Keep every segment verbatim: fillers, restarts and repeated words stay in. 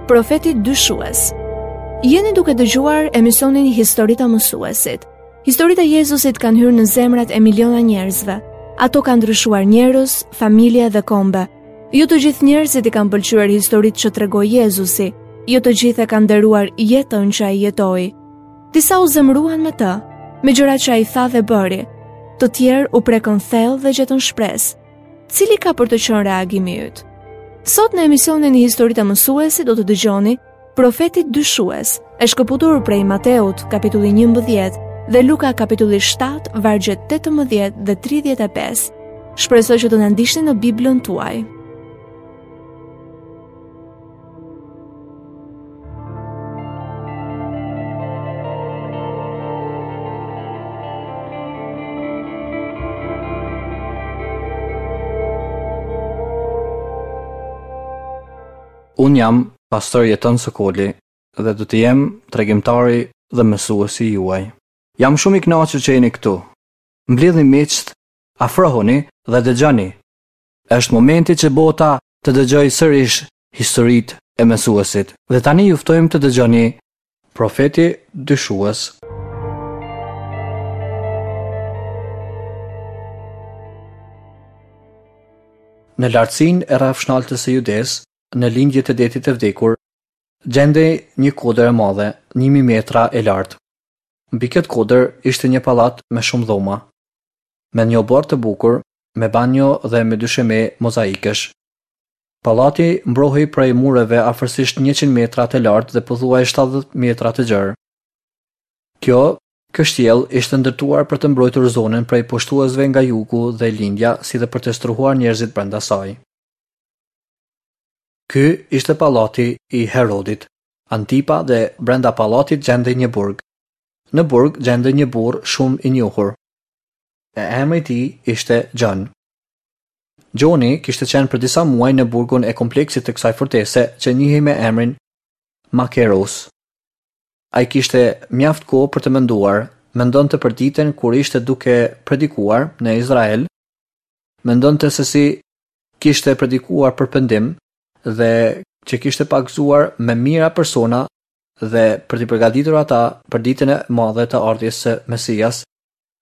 Profeti dyshues. Jeni duke dëgjuar emisionin Historitë e Mësuesit. Historitë e Jezusit kanë hyrë në zemrat e miliona njerëzve. Ato kanë ndryshuar njerëz, familje dhe kombe. Jo të gjithë njerëzit i kanë pëlqyer historitë që tregoi Jezusi, jo të gjithë e kanë nderuar jetën që ai jetoi. Disa u zemëruan me të, me gjërat që ai tha dhe bëri. Të tjerë u prekën thellë dhe gjetën shpresë. Cili ka për të qenë reagimi yt? Sot në emisionin Historitë e Mësuesit do të dëgjoni Profeti dyshues, e shkëputur prej Mateut, kapitulli njëmbëdhjetë, dhe Luka kapitulli shtatë, vargjet tetëmbëdhjetë dhe tridhjetë e pesë. Shpresoj që të na ndiqni në Biblën tuaj. Unë jam pastor Jeton Sokoli dhe do të jem tregimtari dhe mësuesi juaj. Jam shumë i kënaqur që jeni këtu. Mblidhni miqtë, afrohuni dhe dëgjoni. Është momenti që bota të dëgjojë sërish historitë e mësuesit. Dhe tani ju ftojmë të dëgjoni Profeti dyshues. Në lartësinë e rrafshnaltës së Judesë, në lindje të detit të vdekur, gjendej një kodër e madhe, një mijë metra e lartë. Mbi këtë kodër ishte një pallat me shumë dhoma, me një oborr të bukur, me banjo dhe me dysheme mozaikësh. Pallati mbrohej prej mureve afërsisht njëqind metra të lartë dhe pothuaj shtatëdhjetë metra të gjerë. Kjo kështjellë ishte ndërtuar për të mbrojtur zonën prej pushtuesve nga jugu dhe lindja, si dhe për të strehuar njerëzit brenda saj. Ky ishte pallati i Herodit, Antipa, dhe brenda pallatit gjendej një burg. Në burg gjendej një burrë shumë i njohur. E emri i tij ishte John. Gjoni kishte qenë për disa muaj në burgun e kompleksit të kësaj fortese që njihej me emrin Makeros. Ai kishte mjaft kohë për të menduar, mendonte për ditën kur ishte duke predikuar në Izrael, mendonte se si kishte predikuar për pendim dhe që kishte pagëzuar me mijëra persona dhe për t'i përgatitur ata për ditën e madhe të ardhjes së Mesias,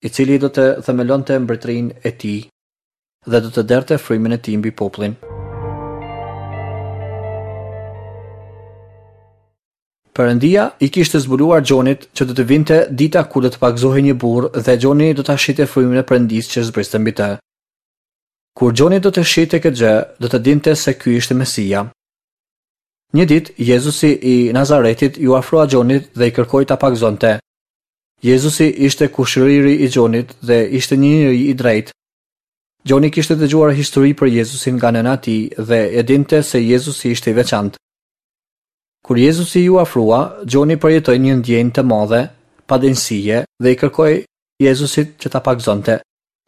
i cili do të themelonte mbretërinë e tij dhe do të derdhte frymën e tij mbi popullin. Perëndia i kishte zbuluar Gjonit që do të vinte dita kur do të pagëzohej një burrë dhe Gjoni do ta shihte frymën e Perëndisë që zbriste mbi të. Kur Gjoni do të shihte këtë gjë, do të dinte se ky ishte Mesia. Një ditë, Jezusi i Nazaretit iu afrua Gjonit dhe i kërkoi ta pagëzonte. Jezusi ishte kushëriri i Gjonit dhe ishte një njeri i drejtë. Gjoni kishte dëgjuar histori për Jezusin nga nëna e tij dhe e dinte se Jezusi ishte i veçantë. Kur Jezusi iu afrua, Gjoni përjetoi një ndjenjë të madhe padenjësie dhe i kërkoi Jezusit që ta pagëzonte.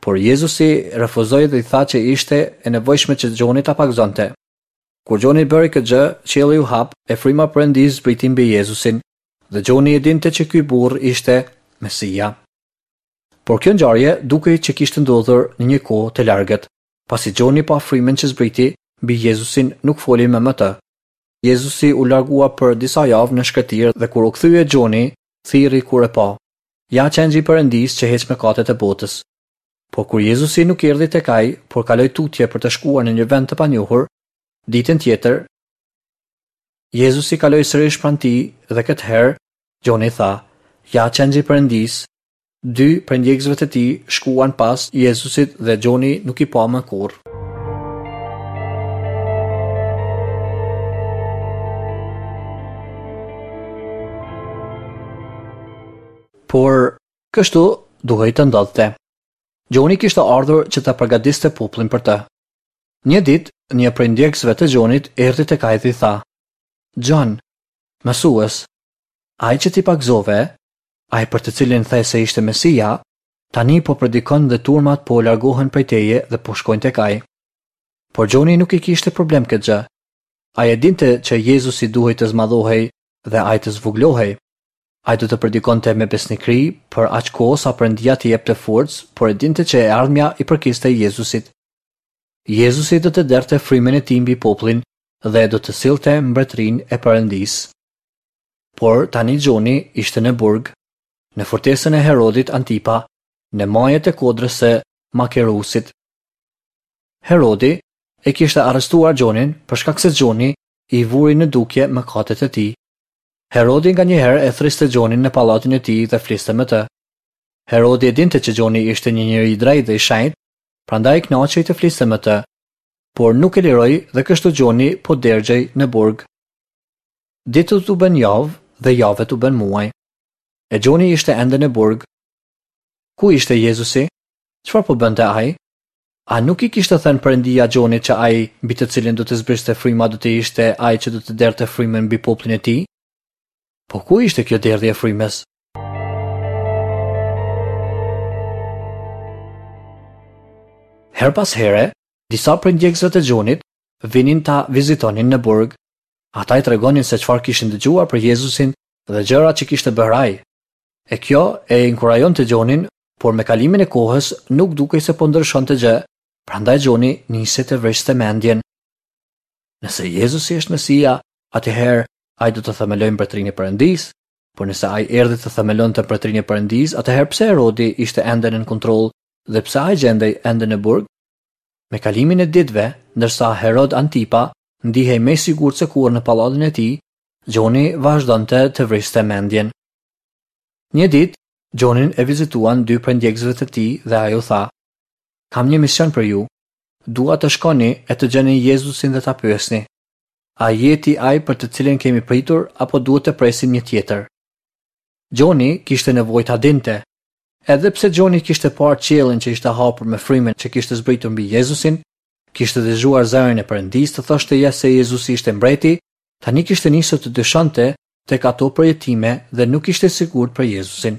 Por Jezusi refuzoi dhe i tha që ishte e nevojshme që Gjoni ta pagëzonte. Kur Gjoni bëri këtë gjë, qielli u hap e fryma e Perëndisë zbriti mbi Jezusin, dhe Gjoni e dinte që ky burr ishte Mesia. Por kjo ngjarje dukej që kishte ndodhur në një kohë të largët. Pasi Gjoni pa frymën që zbriti mbi Jezusin, nuk foli më me të. Jezusi u largua për disa javë në shkretir dhe kur u kthye Gjoni, thirri kur e pa. Ja qengji i Perëndisë që heq mëkatet e botës. Por kur Jezusi nuk erdhi tek ai, por kaloi tutje për të shkuar në një vend të panjohur, ditën tjetër, Jezusi kaloi sërish pranë tij dhe këtë herë Gjoni tha: Ja qengji i Perëndisë. Dy prej ndjekësve të tij shkuan pas Jezusit dhe Gjoni nuk i pa më kurrë. Por kështu duhej të ndodhte. Gjoni kishte ardhur që ta përgatiste popullin për të. Një ditë, një prej ndjekësve të Gjonit erdhi tek ai dhe i tha: Gjon, mësues, ai që ti pagëzove, ai për të cilin the se ishte Mesia, tani po predikon dhe turmat po largohen prej teje dhe po shkojnë tek ai. Por Gjoni nuk i kishte problem këtë gjë. Ai e dinte që Jezusi duhej të zmadhohej dhe ai të zvogëlohej. Ai do të predikonte me besnikëri për aq kohë sa Perëndia t'i jepte forcë, por e dinte që e ardhmja i përkiste Jezusit. Jezusi do të derdhte frymën e tij mbi popullin dhe do të sillte mbretërinë e Perëndisë. Por tani Gjoni ishte në burg, në fortesën e Herodit Antipa, në majet e kodrës së Makerusit. Herodi e kishte arrestuar Gjonin për shkak se Gjoni i vuri në dukje mëkatet e tij. Herodi nganjëherë e thërriste Gjonin në pallatin e tij dhe fliste me të. Herodi e dinte që Gjoni ishte një njeri i drejtë dhe i shenjtë, prandaj kënaqej të fliste me të, por nuk e liroi dhe kështu Gjoni po dergjej në burg. Ditët u bën javë dhe javët u bën muaj. E Gjoni ishte ende në burg. Ku ishte Jezusi? Çfarë po bënte ai? A nuk i kishte thënë Perëndia Gjonit që ai mbi të cilin do të zbriste fryma do të ishte ai që do të derdhte frymën mbi popullin e tij? Po ku ishte kjo derdhje e frymës? Herë pas here, disa prej ndjekësve të Gjonit vinin ta vizitonin në burg. Ata i tregonin se çfarë kishin dëgjuar për Jezusin dhe gjërat që kishte bërë ai. E kjo e inkurajonte Gjonin, por me kalimin e kohës nuk dukej se po ndryshonte gjë, prandaj Gjoni nisi të vriste mendjen. Nëse Jezusi është Mesia, atëherë ai do të themelojë mbretërinë e Perëndisë, por nëse ai erdhi të themelonte mbretërinë e Perëndisë, atëherë pse Herodi ishte ende nën kontroll dhe pse ai gjendej ende në burg? Me kalimin e ditëve, ndërsa Herod Antipa ndihej më i sigurt se kurrë në pallatin e tij, Gjoni vazhdonte të vriste mendjen. Një ditë, Gjonin e vizituan dy prej ndjekësve të tij dhe ai u tha: "Kam një mision për ju. Dua të shkoni e të gjeni Jezusin dhe ta pyesni. A je ti ai për të cilin kemi pritur apo duhet të presim një tjetër?" Gjoni kishte nevojë ta dinte. Edhe pse Gjoni kishte parë qiellin që ishte hapur me frymën që kishte zbritur mbi Jezusin, kishte dëgjuar zërin e Perëndisë të thoshte se Jezusi ishte mbreti, tani kishte nisur të dyshonte tek ato përjetime dhe nuk ishte sigurt për Jezusin.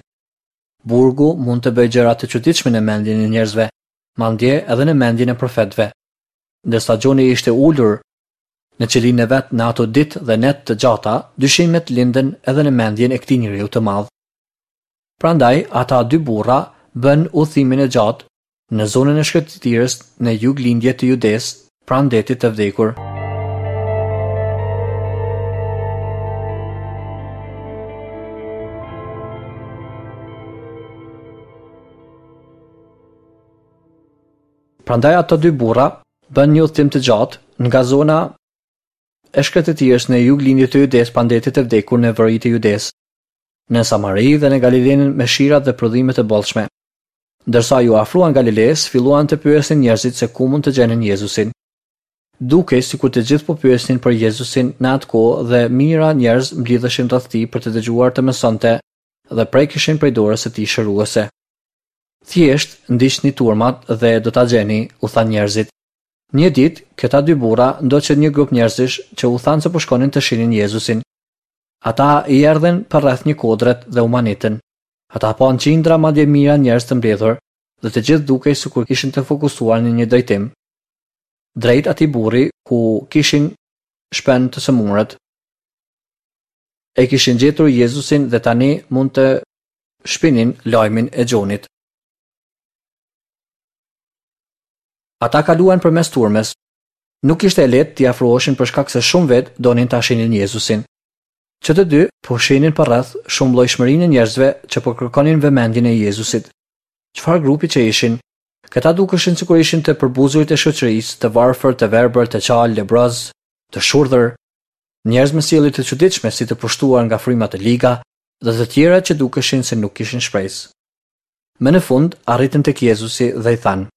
Burgu mund të bëjë gjëra të çuditshme në mendjen e njerëzve, madje edhe në mendjen e profetëve. Ndërsa Gjoni ishte ulur në qelinë e vet në ato ditë dhe net të gjata, dyshimet lindën edhe në mendjen e këtij njeriu të madh. Prandaj ata dy burra bën udhëtimin e gjatë në zonën e shkretëtirës në juglindje të Judesë, pranë detit të vdekur. Prandaj ata dy burra bën një udhëtim të gjatë nga zona e shkretëtirës në juglindje të Judesë pranë detit të vdekur në veri të Judesë, në Samari dhe në Galilenë me shirat dhe prodhimet e bollshme. Ndërsa ju afruan Galilesë, filluan të pyesin njerëzit se ku mund të gjenin Jezusin. Dukej sikur të gjithë po pyesnin për Jezusin në atë kohë dhe mijëra njerëz mblidheshin rreth tij për të dëgjuar të mësonte dhe prekeshin prej dorës së tij shëruese. Thjesht ndiqni turmat dhe do ta gjeni, u thanë njerëzit. Një ditë, këta dy burra ndoqën një grup njerëzish që u thanë se po shkonin të shihnin Jezusin. Ata i erdhën përreth një kodret dhe u manitën. Ata panë qindra madje mijëra njerëz të mbledhur dhe të gjithë dukej sikur ishin të fokusuar në një drejtim. Drejt atij burri ku kishin shpend të sëmurët. E kishin gjetur Jezusin dhe tani mund të shpinin lajmin e Gjonit. Ata kaluan përmes turmës. Nuk ishte e lehtë t'i afroheshin për shkak se shumë vetë donin ta shihnin Jezusin. Që të dy po shihnin përreth shumëllojshmërinë e njerëzve që po kërkonin vëmendjen e Jezusit. Çfarë grupi që ishin? Këta dukeshin sikur ishin të përbuzurit e shoqërisë, të varfër, të verbër, të qalë, lebroz, të shurdhër, njerëz me sjellje të çuditshme si të pushtuar nga frymat e liga dhe të tjera që dukeshin se nuk kishin shpresë. Më në fund arritën tek Jezusi dhe i thanë: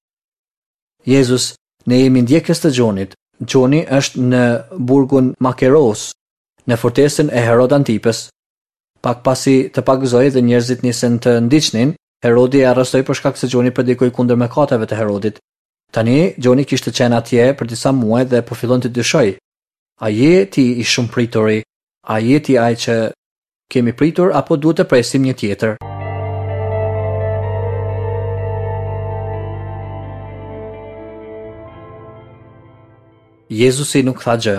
Jezus, ne jemi ndjekës të Gjonit. Gjoni është në burgun Makeros, në fortesën e Herod Antipës. Pak pasi të pagëzoi dhe njerëzit nisën të ndiqnin, Herodi e arrestoi për shkak se Gjoni predikoi kundër mëkateve të Herodit. Tani Gjoni kishte qenë atje për disa muaj dhe po fillon të dyshojë. A je ti i shumëprituri? A je ti ai që kemi pritur apo duhet të presim një tjetër? Jezusi nuk tha gjë.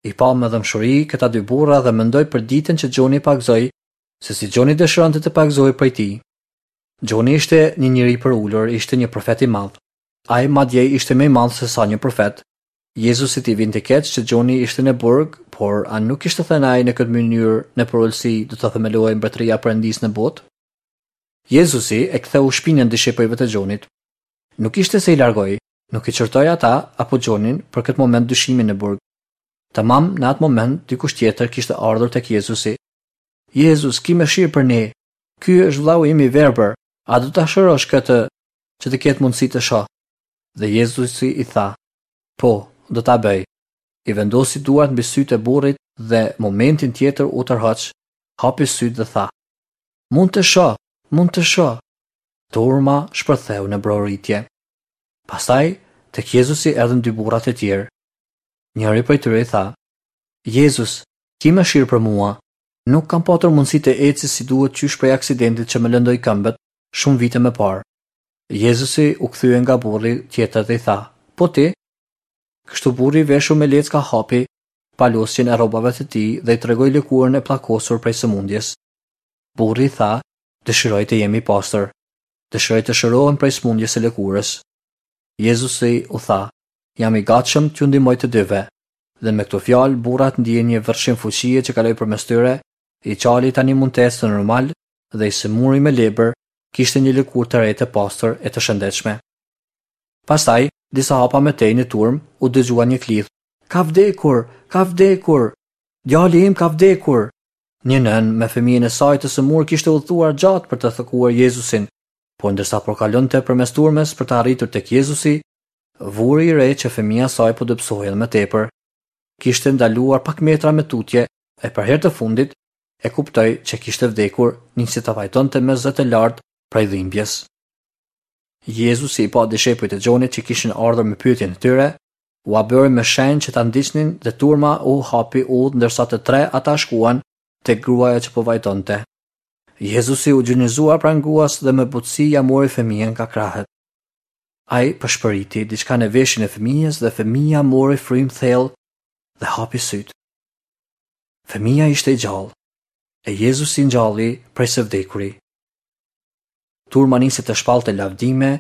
I pa me dhembshuri këta dy burra dhe mendoi për ditën që Gjoni pagëzoi, se si Gjoni dëshironte të pagëzohej prej tij. Gjoni ishte një njeri i përulur, ishte një profet i madh. Ai madje ishte më i madh se sa një profet. Jezusit i vinte keq që Gjoni ishte në burg, por a nuk kishte thënë ai në këtë mënyrë në përulësi do të themelohej mbretëria e Perëndisë në botë? Jezusi e ktheu shpinën dishepujve të Gjonit. Nuk ishte se i largoi, nuk i qortoi ata apo Gjonin për këtë moment dyshimi në burg. Tamam në atë moment dikush tjetër kishte ardhur tek Jezusi. Jezus, ki mëshirë për ne. Ky është vllau im i verbër. A do ta shërosh këtë që të ketë mundësi të shoh? Dhe Jezusi i tha, Po, do ta bëj. I vendosi duart mbi sytë e burrit dhe momentin tjetër u tërhoq, hapi sytë dhe tha, Mund të shoh, mund të shoh. Turma shpërtheu në broritje. Pastaj, tek Jezusi erdhën dy burrat e tjerë. Njëri prej tyre i tha, Jezus, ki mëshirë për mua. Nuk kam patur mundësi të eci si duhet qysh prej aksidentit që më lëndoi këmbët shumë vite më parë. Jezusi u kthye nga burri tjetër dhe i tha, Po ti? Kështu burri i veshur me lecka hapi palosjen e rrobave të tij dhe i tregoi lëkurën e pllakosur prej sëmundjes. Burri tha, dëshiroj të jem i pastër. Dëshiroj të shërohem prej sëmundjes së lëkurës. Jezusi u tha, jam i gatshëm t'ju ndihmoj të dyve. Dhe me këto fjalë burrat ndien një vërshim fuqie që kaloi përmes tyre, i qali tani mund të ecte normal dhe i sëmuri me lebër kishte një lëkurë të re të pastër e të shëndetshme. Pastaj, disa hapa më tej në turmë, u dëgjua një klith. Ka vdekur, ka vdekur. Djali im ka vdekur. Një nënë me fëmijën e saj të sëmurë kishte udhëtuar gjatë për të takuar Jezusin, por ndërsa po kalonte përmes turmës për të arritur tek Jezusi, vuri re që fëmija e saj po dobësohej edhe më tepër. Kishte ndaluar pak metra më tutje e për herë të fundit e kuptoi që kishte vdekur, nisi të vajtonte me zë të lartë prej dhimbjes. Jezusi i pa dishepujt e Gjonit që kishin ardhur me pyetjen e tyre, ua bëri me shenjë që ta ndiqnin dhe turma u hapi udhë ndërsa të tre ata shkuan tek gruaja që po vajtonte. Jezusi u gjunjëzua pranë gruas dhe me butësi ja mori fëmijën nga krahët. Ai pëshpëriti diçka në veshin e fëmijës dhe fëmija mori frymë thellë dhe hapi sytë. Fëmija ishte i gjallë, e Jezusi ngjalli prej së vdekuri. Turma nisi të shpallte lavdime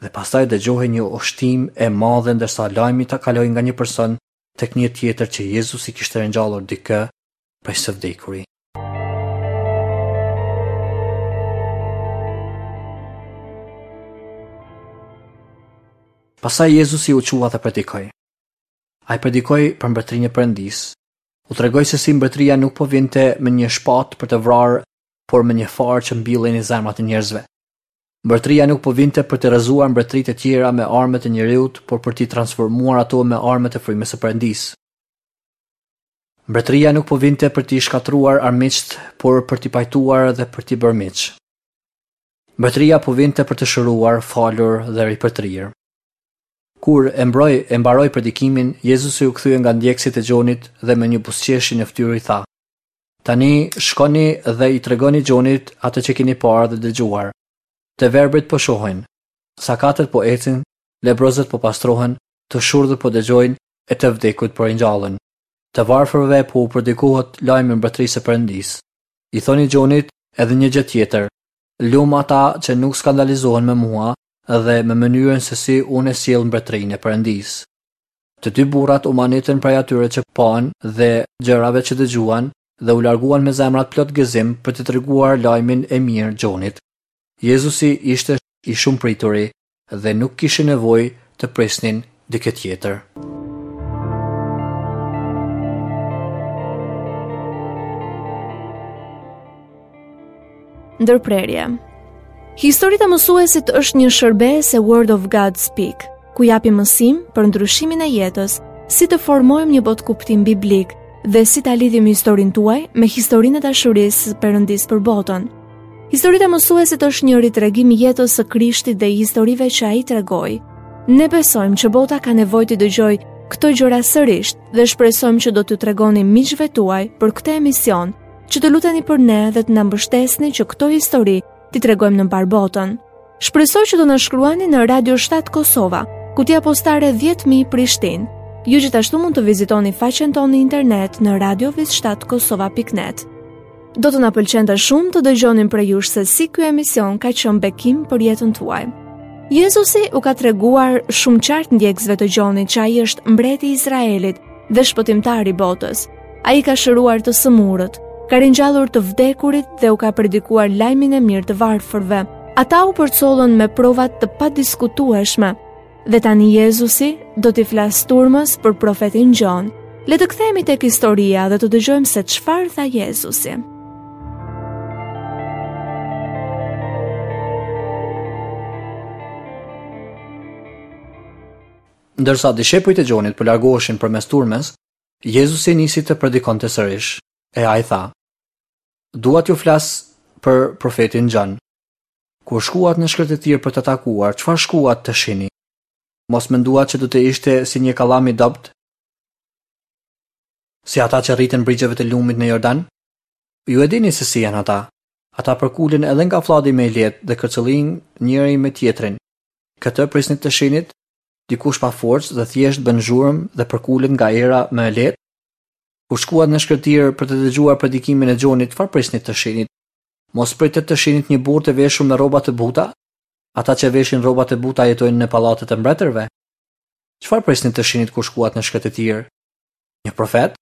dhe pastaj dëgjohej një oshtim e madhe ndërsa lajmi ta kaloi nga një person tek një tjetër që Jezusi kishte ringjallur dikë prej së vdekuri. Pastaj Jezusi u çua dhe predikoi. Ai predikoi për mbretërinë e Perëndisë. U tregoi se si mbretëria nuk po vinte me një shpatë për të vrarë, por me një farë që mbillej në zemrat e njerëzve. Mbretëria nuk po vinte për të rrëzuar mbretëritë e tjera me armët e njeriut, por për t'i transformuar ato me armët e frymës së Perëndisë. Mbretëria nuk po vinte për t'i shkatërruar armiqtë, por për t'i pajtuar dhe për t'i bërë miq. Mbretëria po vinte për të shëruar, falur dhe ripërtrirë. Kur e mbroi e mbaroi predikimin, Jezusi u kthye nga ndjekësit e Gjonit dhe me një buzëqeshje në fytyrë i tha: Tani shkoni dhe i tregoni Gjonit atë që keni parë dhe dëgjuar. Të verbrit po shohin, sakatët po ecin, lebrozët po pastrohen, të shurdhët po dëgjojnë e të vdekut po ringjallen. Të varfërve po u predikohet lajmi i mbretërisë së Perëndisë. I thoni Gjonit edhe një gjë tjetër. Lum ata që nuk skandalizohen me mua dhe me mënyrën se si unë e sjell mbretërinë e Perëndisë. Të dy burrat u manitën prej atyre që panë dhe gjërave që dëgjuan dhe u larguan me zemrat plot gëzim për të treguar lajmin e mirë Gjonit. Jezusi ishte i shumëprituri dhe nuk kishin nevojë të prisnin dikë tjetër. Ndërprerje. Historitë e mësuesit është një shërbesë e Word of God Speak, ku japim mësim për ndryshimin e jetës, si të formojmë një botëkuptim biblik dhe si ta lidhim historinë tuaj me historinë e dashurisë së Perëndisë për botën. Historitë e mësuesit është një ritregim i jetës së Krishtit dhe i historive që ai tregoi. Ne besojmë që bota ka nevojë të dëgjojë këto gjëra sërish dhe shpresojmë që do t'ju tregoni miqve tuaj për këtë emision, që të luteni për ne dhe të na mbështesni që këto histori t'i tregojmë në mbar botën. Shpresoj që do na shkruani në Radio shtatë Kosova, kutia postare dhjetë mijë Prishtinë. Ju gjithashtu mund të vizitoni faqen tonë në internet në radio shtatë kosova pikë net. Do të na pëlqente shumë të dëgjonim prej jush se si ky emision ka qenë bekim për jetën tuaj. Jezusi u ka treguar shumë qartë ndjekësve të Gjonit që ai është mbreti i Izraelit dhe shpëtimtari i botës. Ai ka shëruar të sëmurët, ka ringjallur të vdekurit dhe u ka predikuar lajmin e mirë të varfërve. Ata u përcollën me prova të padiskutueshme. Dhe tani Jezusi do t'i flasë turmës për profetin Gjon. Le të kthehemi tek historia dhe të dëgjojmë se çfarë tha Jezusi. Ndërsa dishepujt e Gjonit po largoheshin përmes turmës, Jezusi nisi të predikonte sërish, e ai tha: Dua t'ju flas për profetin Gjon. Kur shkuat në shkretëtirë për të takuar, çfarë shkuat të shihni? Mos menduat që do të ishte si një kallam i dobët? Si ata që rriten brigjeve të lumit në Jordan? Ju e dini se si janë ata. Ata përkulen edhe nga flladi më i lehtë dhe kërcëllin njëri me tjetrin. Këtë prisnit të shihnit? Dikush pa forcë dhe thjesht bën zhurmë dhe përkulet nga era më e lehtë? Kur shkuat në shkretëtirë për të dëgjuar predikimin e Gjonit, çfarë prisnit të shihnit? Mos pritet të shihnit një burrë të veshur me rroba të buta? Ata që veshin rroba të buta jetojnë në pallatet e mbretërve. Çfarë prisnit të shihnit kur shkuat në shkretëtirë? Një profet?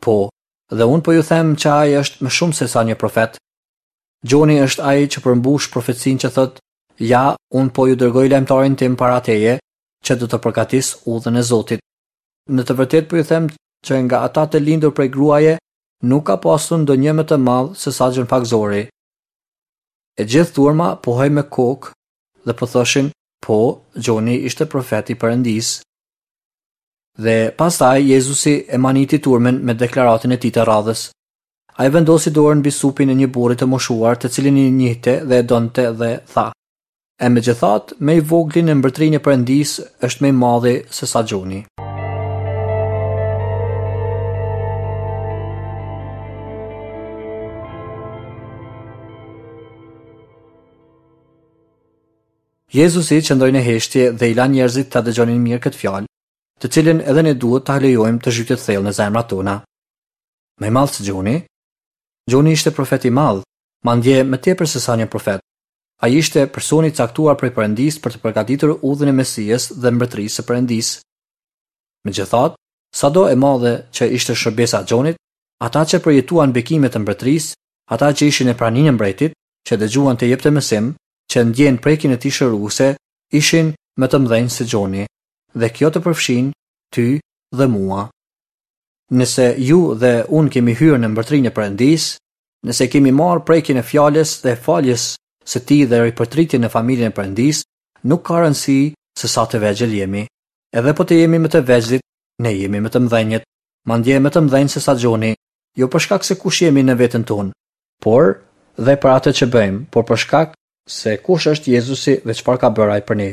Po, dhe unë po ju them që ai është më shumë se sa një profet. Gjoni është ai që përmbush profecinë që thotë: Ja, unë po ju dërgoj lajmëtarin tim para teje, që do të përgatis udhën e Zotit. Në të vërtetë po ju them që nga ata të lindur prej gruaje nuk ka pasur ndonjë më të madh se sa Gjon Pagëzori. E gjithë turma pohoi me kokë dhe po thoshin, po, Gjoni ishte profet i Perëndisë. Dhe pastaj Jezusi e maniti turmën me deklaratën e tij të radhës. Ai vendosi dorën mbi supin e një burri të moshuar, të cilin i njihte dhe e donte dhe tha: E megjithatë, më i vogli në mbretërinë e Perëndisë është më i madhi se sa Gjoni. Jezusi qëndroi në heshtje dhe i la njerëzit ta dëgjonin mirë këtë fjalë, të cilën edhe ne duhet ta lejojmë të zhytet thellë në zemrat tona. Më i madh se Gjoni? Gjoni ishte profet i madh, madje më tepër se sa një profet. Ai ishte personi i caktuar prej Perëndisë për të përgatitur udhën e Mesias dhe mbretërisë së Perëndisë. Megjithatë, sado e madhe që ishte shërbesa e Gjonit, ata që përjetuan bekimet e mbretërisë, ata që ishin në praninë e mbretit, që dëgjuan të jepte mësim, që ndjen prekjen e tij shëruese, ishin më të mëdhenj se Gjoni, dhe kjo të përfshin ty dhe mua. Nëse ju dhe unë kemi hyrë në mbretërinë e Perëndisë, nëse kemi marrë prekjen e fjalës dhe faljes së tij dhe ripërtritjen në familjen e Perëndisë, nuk ka rëndësi se sa të vegjël jemi. Edhe po të jemi më të vegjlit, ne jemi më të mëdhenjët, madje më të mëdhenj se sa Gjoni, jo për shkak se kush jemi në veten tonë, por dhe për atë që bëjmë, por për shkak se kush është Jezusi dhe çfarë ka bërë ai për ne.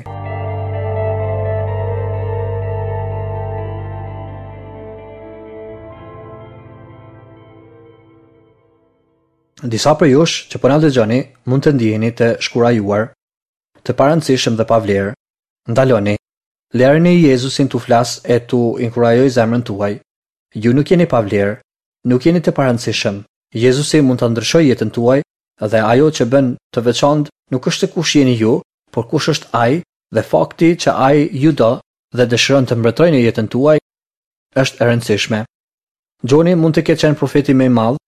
Disa prej jush që po na dëgjoni mund të ndiheni të shkurajuar, të parëndësishëm dhe pa vlerë. Ndaloni. Lëreni Jezusin t'u flas e t'u inkurajojë zemrën tuaj. Ju nuk jeni pa vlerë, nuk jeni të parëndësishëm. Jezusi mund ta ndryshojë jetën tuaj dhe ajo që bën të veçantë nuk është kush jeni ju, por kush është ai dhe fakti që ai ju do dhe dëshiron të mbretërojë në jetën tuaj është e rëndësishme. Gjoni mund të ketë qenë profeti më i madh,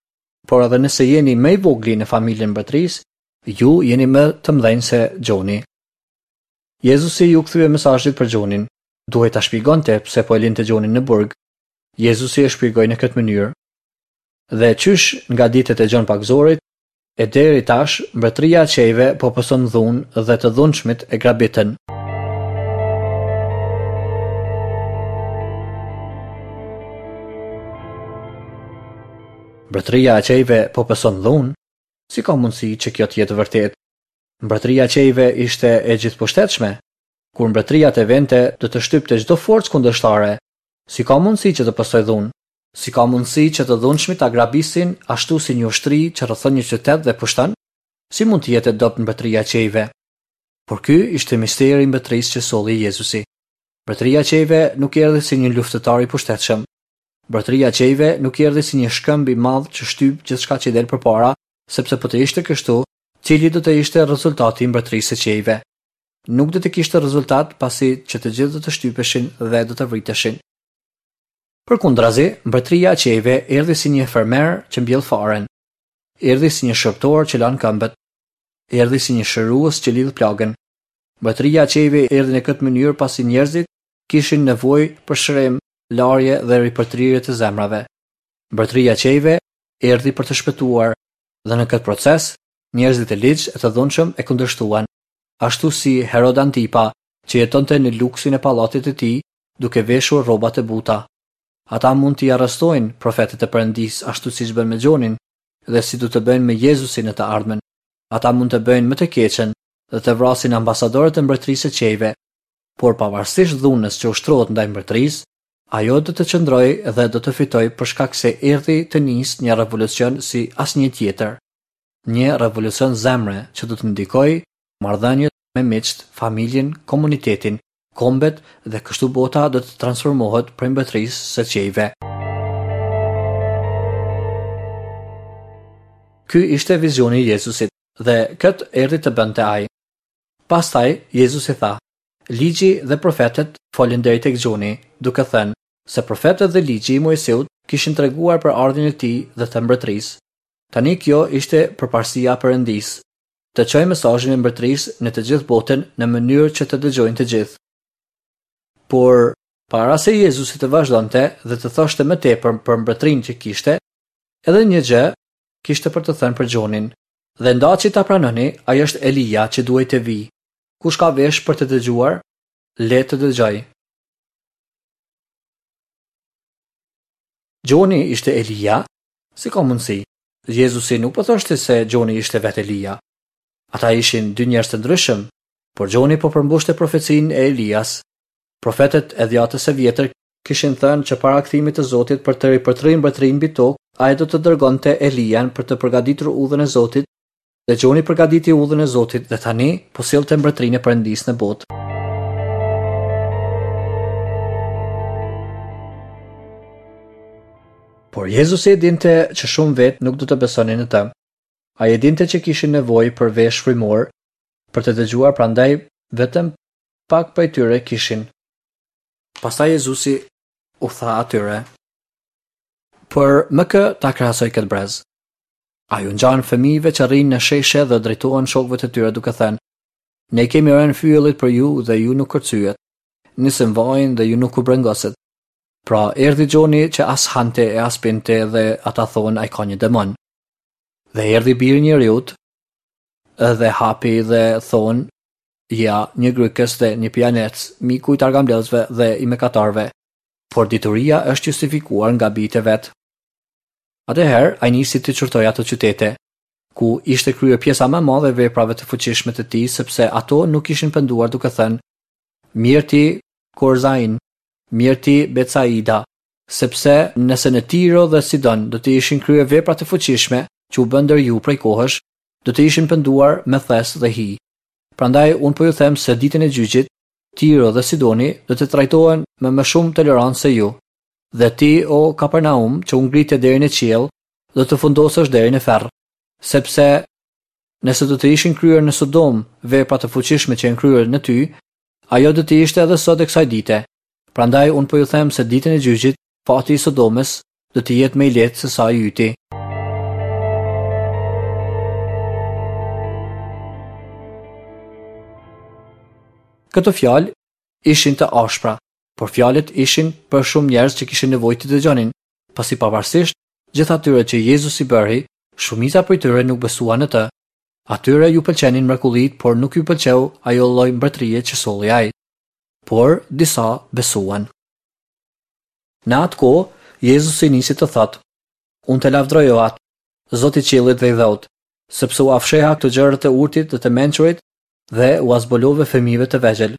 por edhe nëse jeni më i vogli në familjen e mbretërisë, ju jeni më të mëdhenj se Gjoni. Jezusi ju kthye mesazhit për Gjonin. Duhej ta shpjegonte pse po e linte Gjonin në burg. Jezusi e shpjegoi në këtë mënyrë. Dhe qysh nga ditët e Gjon Pagëzorit e deri tash, mbretëria e qiejve po pëson dhunë dhe të dhunshmit e grabitën. Mbretëria e qiejve po pëson dhunë? Si ka mundësi që kjo të jetë vërtet? Mbretëria e qiejve ishte e gjithëpushtetshme. Kur mbretëria të vente, do të shtypte çdo forcë kundërshtare. Si ka mundësi që të pësoj dhunë? Si ka mundësi që të dhunshmit ta grabisin ashtu si një ushtri që rrethon një qytet dhe pushton? Si mund të jetë e dobët mbretëria e qiejve? Por ky ishte misteri i mbretërisë që solli Jezusi. Mbretëria e qiejve nuk erdhi si një luftëtar i pushtetshëm. Mbretëria e qiejve nuk erdhi si një shkëmb i madh që shtyp gjithçka që i del përpara, sepse po të ishte kështu, cili do të ishte rezultati i mbretërisë së qiejve? nuk do të kishte rezultat pasi që të gjithë do të shtypeshin dhe do të vriteshin. Përkundrazi, mbretëria e qiejve erdhi si një fermer që mbjell farën. Erdhi si një shërbëtor që lan këmbët. Erdhi si një shërues që lidh plagën. Mbretëria e qiejve erdhi në këtë mënyrë pasi njerëzit kishin nevojë për shërim, larje dhe ripërtërirje të zemrave. Mbretëria e qiejve erdhi për të shpëtuar dhe në këtë proces njerëzit e ligj e të dhunshëm e kundërshtuan, ashtu si Herod Antipa, që jetonte në luksin e pallatit të tij, duke veshur rroba të buta. Ata mund t'i arrestojnë profetët e Perëndisë ashtu siç bën me Gjonin dhe si do të bëjnë me Jezusin në të ardhmen. Ata mund të bëjnë më të keqen dhe të vrasin ambasadorët e mbretërisë së qiejve, por pavarësisht dhunës që ushtrohet ndaj mbretërisë, ajo do të qëndrojë dhe do të fitojë për shkak se erdhi të nisë një revolucion si asnjë tjetër. Një revolucion zemre që do të ndikojë marrëdhëniet me miqtë, familjen, komunitetin, kombet dhe kështu bota do të transformohet prej mbretërisë së qiejve. Ky ishte vizioni i Jezusit dhe këtë erdhi të bënte ai. Pastaj Jezusi tha: Ligji dhe profetët folën deri tek Gjoni, duke thënë se profetët dhe ligji i Moisiut kishin treguar për ardhjen e tij dhe të mbretërisë. Tani kjo ishte përparësia e Perëndisë, të çojë mesazhin e mbretërisë në të gjithë botën në mënyrë që të dëgjojnë të gjithë. Por para se Jezusi të vazhdonte dhe të thoshte më tepër për mbretërinë që kishte, edhe një gjë kishte për të thënë për Gjonin. Dhe ndaçi ta pranoni, ai është Elia që duhej të vijë. Kush ka vesh për të dëgjuar, le të dëgjojë. Gjoni ishte Elia? Si ka mundësi? Jezusi nuk po thoshte se Gjoni ishte vetë Elia. Ata ishin dy njerëz të ndryshëm, por Gjoni po përmbushte profecinë e Elias. Profetët e dhjatës së vjetër kishin thënë që para kthimit të Zotit për të ripërtërirë mbretërinë mbi tokë, ai do të dërgonte Elian për të përgatitur udhën e Zotit, dhe Gjoni përgatiti udhën e Zotit dhe tani po sillte mbretërinë e Perëndisë në botë. Por Jezusi e dinte që shumë vetë nuk do të besonin në të. Ai e dinte që kishin nevojë për vesh frymor për të dëgjuar, prandaj vetëm pak prej tyre kishin. Pastaj Jezusi u tha atyre: Për më kë ta krahasoj këtë brez? Ai u ngjan fëmijëve që rrinë në sheshe dhe drejtohen shokëve të tyre duke thënë: Ne kemi rënë fyellit për ju dhe ju nuk kërcyet. Nisëm vajin dhe ju nuk u brengosët. Pra erdhi Gjoni që as hante e as pinte dhe ata thonë ai ka një demon. Dhe erdhi biri njeriut dhe hapi dhe thonë ja, një grykës dhe një pijanec, miku i targambledhësve dhe i mëkatarëve, por dituria është justifikuar nga bijtë e vet. Atëherë ai nisi të qortojë ato qytete, ku ishte kryer pjesa më e madhe e veprave të fuqishme të tij, sepse ato nuk ishin penduar duke thënë: Mirë ti Korzain, mirë ti Betsaida, sepse nëse në Tiro dhe Sidon do të ishin kryer vepra të fuqishme që u bën ndër ju prej kohësh, do të ishin penduar me thes dhe hi. Prandaj unë po ju them se ditën e gjyqit, Tiro dhe Sidoni do të trajtohen me më shumë tolerancë se ju. Dhe ti, o Kapernaum, që u ngrite deri në qiell, do të fundosesh deri në ferr, sepse nëse do të ishin kryer në Sodom vepra të fuqishme që janë kryer në ty, ajo do të ishte edhe sot e kësaj dite. Prandaj unë po ju them se ditën e gjyqit, fati i Sodomës do të jetë më i lehtë se sa i yti. Këto fjalë ishin të ashpra, por fjalët ishin për shumë njerëz që kishin nevojë të dëgjonin, pasi pavarësisht gjithë atyre që Jezusi bëri, shumica prej tyre nuk besuan në të. Atyre ju pëlqenin mrekullitë, por nuk ju pëlqeu ajo lloj mbretërie që solli ai. Por disa besuan. Në atë kohë, Jezusi nisi të thotë: Unë të lavdroj o Atë, Zoti i qiellit dhe i dheut, sepse ua fsheha këto gjëra të urtit dhe të mençurit dhe ua zbulove fëmijëve të vegjël.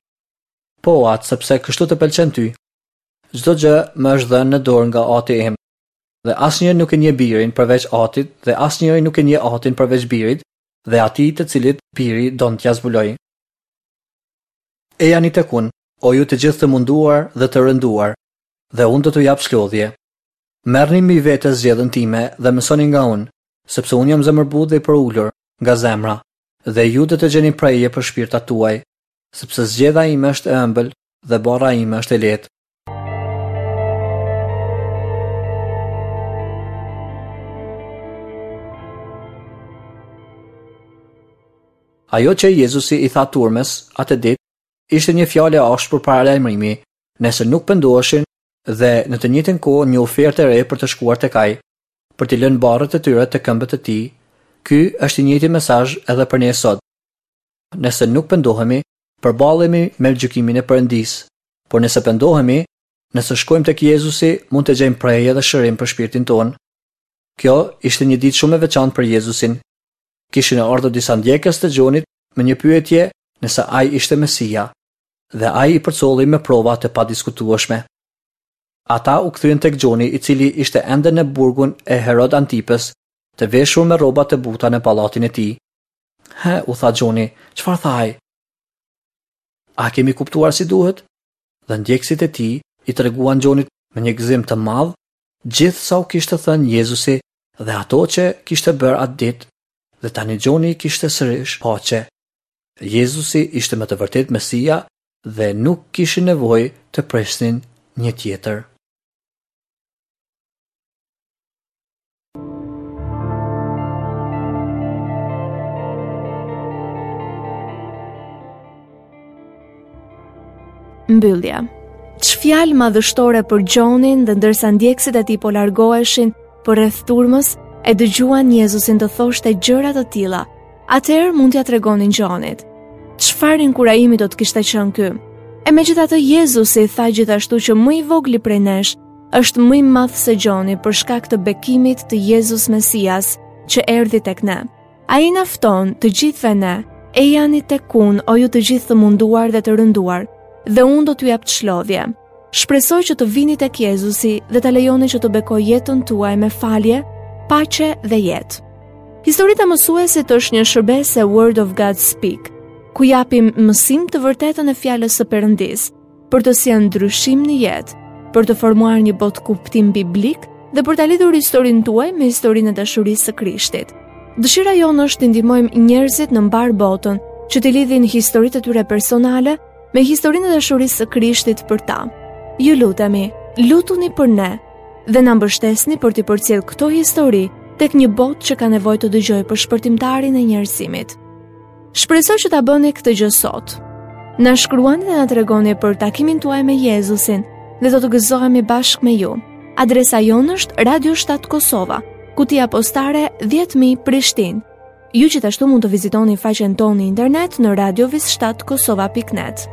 Po, o Atë, sepse kështu të pëlqen ty. Çdo gjë më është dhënë në dorë nga Ati im, dhe asnjë nuk e njeh birin përveç Atit, dhe asnjëri nuk e njeh Atin përveç birit, dhe atij të cilit biri don t'ia zbulojë. Ejani tek unë, o ju të gjithë të munduar dhe të rënduar, dhe unë do t'ju jap shlodhje. Merrni mbi vete zgjedhën time dhe mësoni nga unë, sepse unë jam zemërbutë dhe i përulur nga zemra, dhe ju do të gjeni prehje për shpirtat tuaj, sepse zgjedha ime është e ëmbël dhe barra ime është e lehtë. Ajo që Jezusi i tha turmës atë ditë ishte një fjalë e ashpër paralajmërimi, nëse nuk pendoheshin dhe në të njëjtën kohë një ofertë e re për të shkuar tek ai, për t'i lënë barrët e tyre te këmbët e tij. Ky është i njëjti mesazh edhe për ne sot. Nëse nuk pendohemi, përballemi me gjykimin e Perëndisë. Por nëse pendohemi, nëse shkojmë tek Jezusi, mund të gjejmë prehje dhe shërim për shpirtin tonë. Kjo ishte një ditë shumë e veçantë për Jezusin. Kishin ardhur disa ndjekës të Gjonit me një pyetje nëse ai ishte Mesia, dhe ai i përcolli me prova të padiskutueshme. Ata u kthyen tek Gjoni, i cili ishte ende në burgun e Herod Antipës, të veshur me rroba të buta në pallatin e tij. He, u tha Gjoni, çfarë tha ai? A kemi kuptuar si duhet? Dhe ndjekësit e tij i treguan Gjonit me një gëzim të madh gjithë sa u kishte thënë Jezusi dhe ato që kishte bërë atë ditë, dhe tani Gjoni kishte sërish paqe. Jezusi ishte me të vërtetë Mesia dhe nuk kishin nevojë të presnin një tjetër. Mbyllja. Ç'fjalë madhështore për Gjonin dhe ndërsa ndjekësit e tij po largoheshin përreth turmës, e dëgjuan Jezusin të thoshte gjëra të tilla. Atëherë mund t'ia tregonin Gjonit. Çfarë inkurajimi do të kishte qenë ky? E megjithatë Jezusi tha gjithashtu që më i vogli prej nesh është më i madh se Gjoni për shkak të bekimit të Jezus Mesias që erdhi tek ne. Ai na fton të gjithëve ne, ejani tek unë, o ju të gjithë të munduar dhe të rënduar, dhe unë do t'ju jap çlodhje. Shpresoj që të vini tek Jezusi dhe ta lejoni që të bekojë jetën tuaj me falje, paqe dhe jetë. Historitë e mësuesit është një shërbesë e Word of God Speak, ku japim mësim të vërtetën e fjalës së Perëndisë, për të sjellë ndryshim në jetë, për të formuar një botë kuptim biblik dhe për ta lidhur historinë tuaj me historinë e dashurisë së Krishtit. Dëshira jonë është të ndihmojmë njerëzit në mbar botën që të lidhin historitë e tyre personale me historinë e dashurisë së Krishtit për ta. Ju lutemi, lutuni për ne dhe na mbështesni për t'i përcjellë këto histori tek një botë që ka nevojë të dëgjojë për shpëtimtarin e njerëzimit. Shpresoj që ta bëni këtë gjë sot. Na shkruani dhe na tregoni për takimin tuaj me Jezusin dhe do të gëzohemi bashkë me ju. Adresa jonë është Radio shtatë Kosova, kutia postare dhjetë mijë Prishtinë. Ju gjithashtu mund të vizitoni faqen tonë në internet në radio shtatë kosova pikë net.